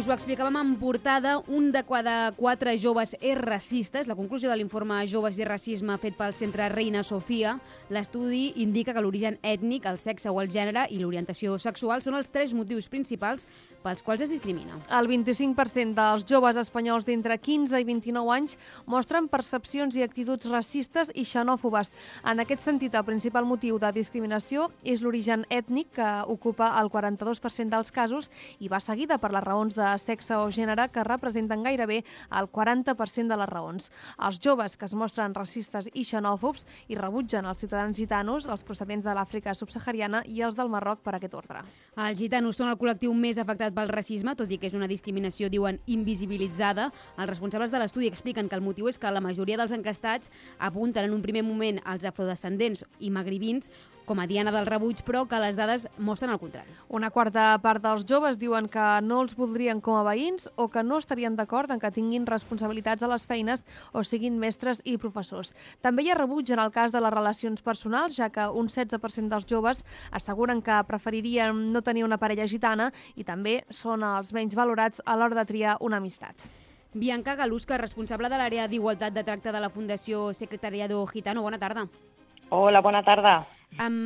us ho explicàvem en portada, un de cada 4 joves és racista. És la conclusió de l'informe Joves i racisme fet pel Centre Reina Sofia. L'estudi indica que l'origen ètnic, el sexe o el gènere i l'orientació sexual són els 3 motius principals pels quals es discrimina. El 25% dels joves espanyols d'entre 15 i 29 anys mostren percepcions i actituds racistes i xenòfobes. En aquest sentit, el principal motiu de discriminació és l'origen ètnic, que ocupa el 42% dels casos i va seguida per les raons de sexe o gènere, que representen gairebé el 40% de les raons. Els joves que es mostren racistes i xenòfobs i rebutgen els ciutadans gitanos, els procedents de l'Àfrica subsahariana i els del Marroc per aquest ordre. Els gitanos són el col·lectiu més afectat pel racisme, tot i que és una discriminació, diuen, invisibilitzada. Els responsables de l'estudi expliquen que el motiu és que la majoria dels enquestats apunten en un primer moment als afrodescendents i magribins com a diana del rebuig, però que les dades mostren el contrari. Una quarta part dels joves diuen que no els voldrien com a veïns o que no estarien d'acord en que tinguin responsabilitats a les feines o siguin mestres i professors. També hi ha rebuig en el cas de les relacions personals, ja que un 16% dels joves asseguren que preferirien no tenir una parella gitana i també són els menys valorats a l'hora de triar una amistat. Bianca Galusca, responsable de l'àrea d'igualtat de tracte de la Fundació Secretariado Gitano. Bona tarda. Hola, bona tarda.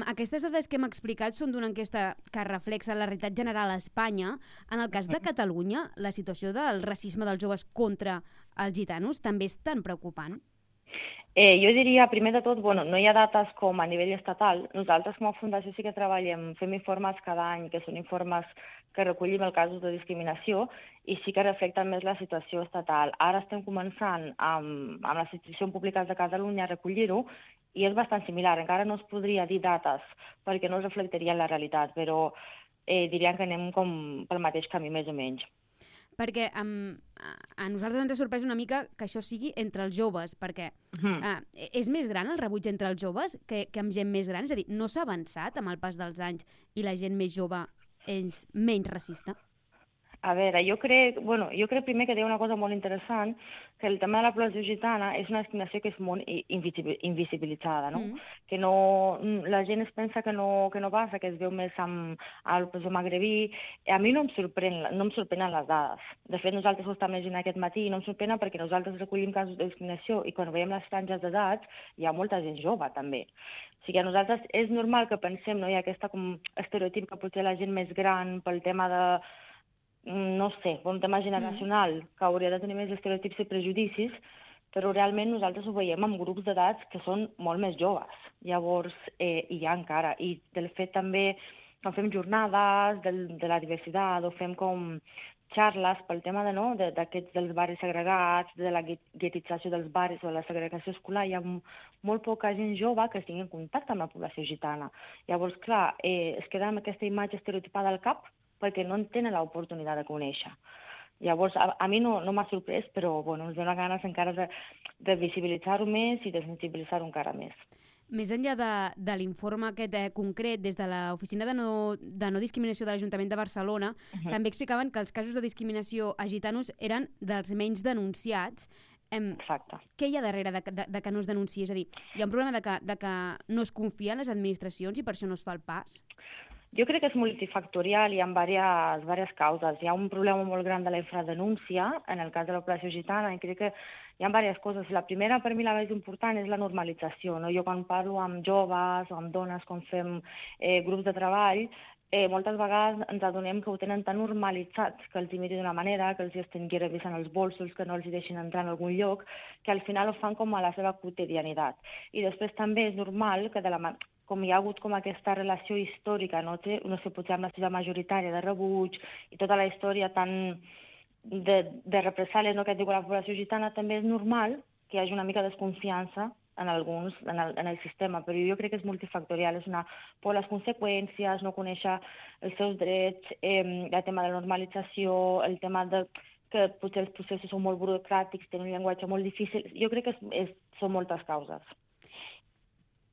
Aquestes dades que hem explicat són d'una enquesta que reflexa la realitat general a Espanya. En el cas de Catalunya, la situació del racisme dels joves contra els gitanos també és tan preocupant? Jo diria, primer de tot, no hi ha dates com a nivell estatal. Nosaltres com a Fundació sí que treballem, fem informes cada any, que són informes que recollim els casos de discriminació i sí que reflecten més la situació estatal. Ara estem començant amb les institucions públiques de Catalunya a recollir-ho i és bastant similar. Encara no es podria dir dates perquè no es reflectaria la realitat, però diríem que anem com pel mateix camí més o menys. Perquè a nosaltres ens ha sorprès una mica que això sigui entre els joves, perquè és més gran el rebuig entre els joves que amb gent més gran? És a dir, no s'ha avançat amb el pas dels anys i la gent més jove és menys racista? A veure, jo crec primer que deia una cosa molt interessant, que el tema de la població gitana és una discriminació que és molt invisibilitzada, no? Que la gent es pensa que no passa, que es veu més amb el professor magrebí. A mi no em sorprenen les dades. De fet, nosaltres ho estem llegint aquest matí i no em sorprenen perquè nosaltres recollim casos de discriminació i quan veiem les franges d'edats hi ha molta gent jove, també. O sigui, a nosaltres és normal que pensem, no hi ha aquest estereotip que potser la gent més gran pel tema de no sé, un tema generacional, que hauria de tenir més estereotips i prejudicis, però realment nosaltres ho veiem amb grups d'edats que són molt més joves. Llavors, hi ha encara. I del fet també, quan fem jornades de la diversitat o fem com xarles pel tema dels barris segregats, de la guetització dels barris o de la segregació escolar, hi ha molt poca gent jove que estigui en contacte amb la població gitana. Llavors, clar, es queda amb aquesta imatge estereotipada al cap perquè no en tenen l'oportunitat de conèixer. Llavors, a mi no m'ha sorprès, però ens dona ganes encara de visibilitzar-ho més i de sensibilitzar-ho encara més. Més enllà de l'informe aquest concret, des de l'Oficina de no discriminació de l'Ajuntament de Barcelona, també explicaven que els casos de discriminació a gitanos eren dels menys denunciats. Exacte. Què hi ha darrere de que no es denunciï? És a dir, hi ha un problema de que no es confia en les administracions i per això no es fa el pas? Jo crec que és multifactorial i hi ha diverses causes. Hi ha un problema molt gran de la infradenúncia, en el cas de la població gitana, i crec que hi ha diverses coses. La primera, per mi, la més important, és la normalització. Jo quan parlo amb joves o amb dones, quan fem grups de treball, moltes vegades ens adonem que ho tenen tan normalitzat, que els imiti d'una manera, que els estigui revisant els bolsos, que no els deixin entrar en algun lloc, que al final ho fan com a la seva quotidianitat. I després també és normal que com hi ha hagut com aquesta relació històrica, no sé, potser amb la seva majoritària de rebuig i tota la història tan de represàlies que et diu la població gitana, també és normal que hi hagi una mica de desconfiança en el sistema, però jo crec que és multifactorial, és una por a les conseqüències, no conèixer els seus drets, el tema de la normalització, el tema que potser els processos són molt burocràtics, tenen un llenguatge molt difícil. Jo crec que són moltes causes.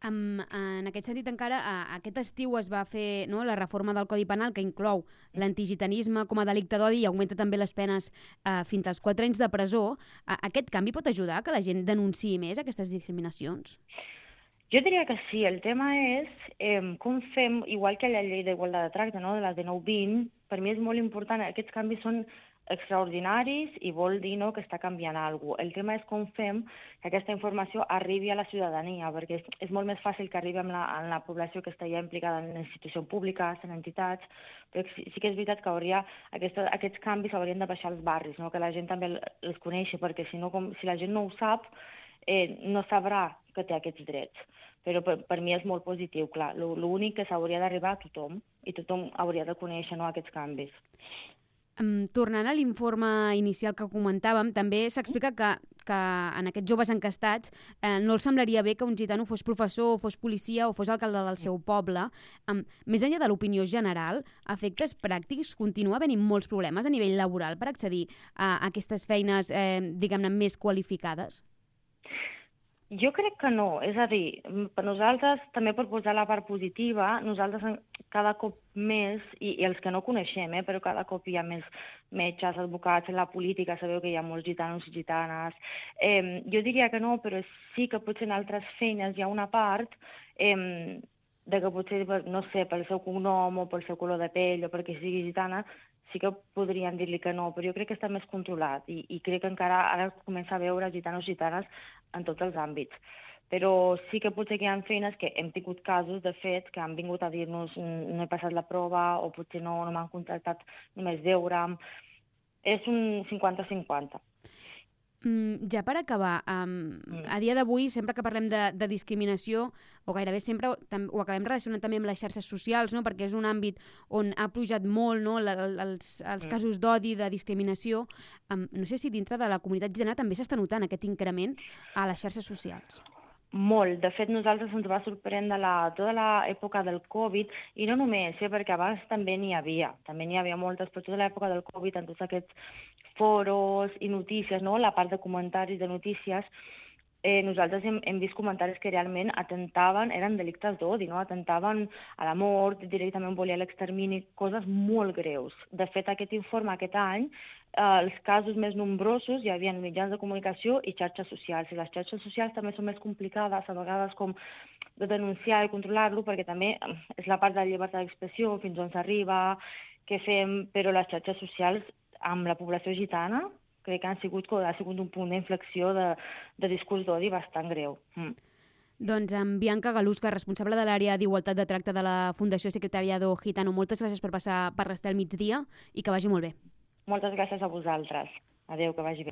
En aquest sentit, encara aquest estiu es va fer la reforma del Codi Penal que inclou l'antigitanisme com a delicte d'odi i augmenta també les penes fins als 4 anys de presó. Aquest canvi pot ajudar que la gent denunciï més aquestes discriminacions? Jo diria que sí. El tema és com fem, igual que la llei d'igualtat de tracte, de la de 1920, per mi és molt important. Aquests canvis són extraordinaris i vol dir que està canviant alguna cosa. El tema és com fem que aquesta informació arribi a la ciutadania, perquè és molt més fàcil que arribi en la població que està ja implicada en institucions públiques, en entitats, però sí que és veritat que aquests canvis haurien de baixar als barris, que la gent també els coneixi, perquè si la gent no ho sap, no sabrà que té aquests drets. Però per mi és molt positiu, clar. L'únic que s'hauria d'arribar a tothom, i tothom hauria de conèixer aquests canvis. Tornant a l'informe inicial que comentàvem, també s'explica que en aquests joves encastats no els semblaria bé que un gitano fos professor, fos policia o fos alcalde del seu poble. Més enllà de l'opinió general, a efectes pràctics, continua havent-hi molts problemes a nivell laboral per accedir a aquestes feines, diguem-ne, més qualificades? Jo crec que no, és a dir, per nosaltres, també per posar la part positiva, nosaltres cada cop més, i els que no coneixem, però cada cop hi ha més metges, advocats, en la política sabeu que hi ha molts gitanos i gitanes. Jo diria que no, però sí que potser en altres feines hi ha una part de que potser, no sé, pel seu cognom o pel seu color de pell o perquè sigui gitana, sí que podrien dir-li que no, però jo crec que està més controlat i crec que encara ara comença a veure gitanos i gitanes en tots els àmbits. Però sí que potser que hi ha feines que hem tingut casos, de fet, que han vingut a dir-nos no he passat la prova o potser no m'han contractat només veure'm. És un 50-50. Ja per acabar, a dia d'avui, sempre que parlem de discriminació, o gairebé sempre ho acabem relacionant també amb les xarxes socials, no? Perquè és un àmbit on ha pujat molt, no? els casos d'odi, de discriminació. No sé si dintre de la comunitat gitana també s'està notant aquest increment a les xarxes socials. Molt. De fet, nosaltres ens va sorprendre tota l'època del Covid, i no només, perquè abans també n'hi havia moltes, però tota l'època del Covid, en tots aquests foros i notícies, no? La part de comentaris de notícies, nosaltres hem vist comentaris que realment eren delictes d'odi, no? Atentaven a la mort, directament volia l'extermini, coses molt greus. De fet, aquest informe aquest any, els casos més nombrosos hi havia mitjans de comunicació i xarxes socials. I les xarxes socials també són més complicades, a vegades com de denunciar i controlar-lo, perquè també és la part de la llibertat d'expressió, fins on s'arriba, què fem, però les xarxes socials amb la població gitana crec que ha sigut un punt d'inflexió de discurs d'odi bastant greu. Doncs amb Bianca Galusca, responsable de l'àrea d'Igualtat de Tracte de la Fundació Secretariado Gitano, moltes gràcies per passar per l'Estel Migdia i que vagi molt bé. Moltes gràcies a vosaltres. Adéu, que vagi bé.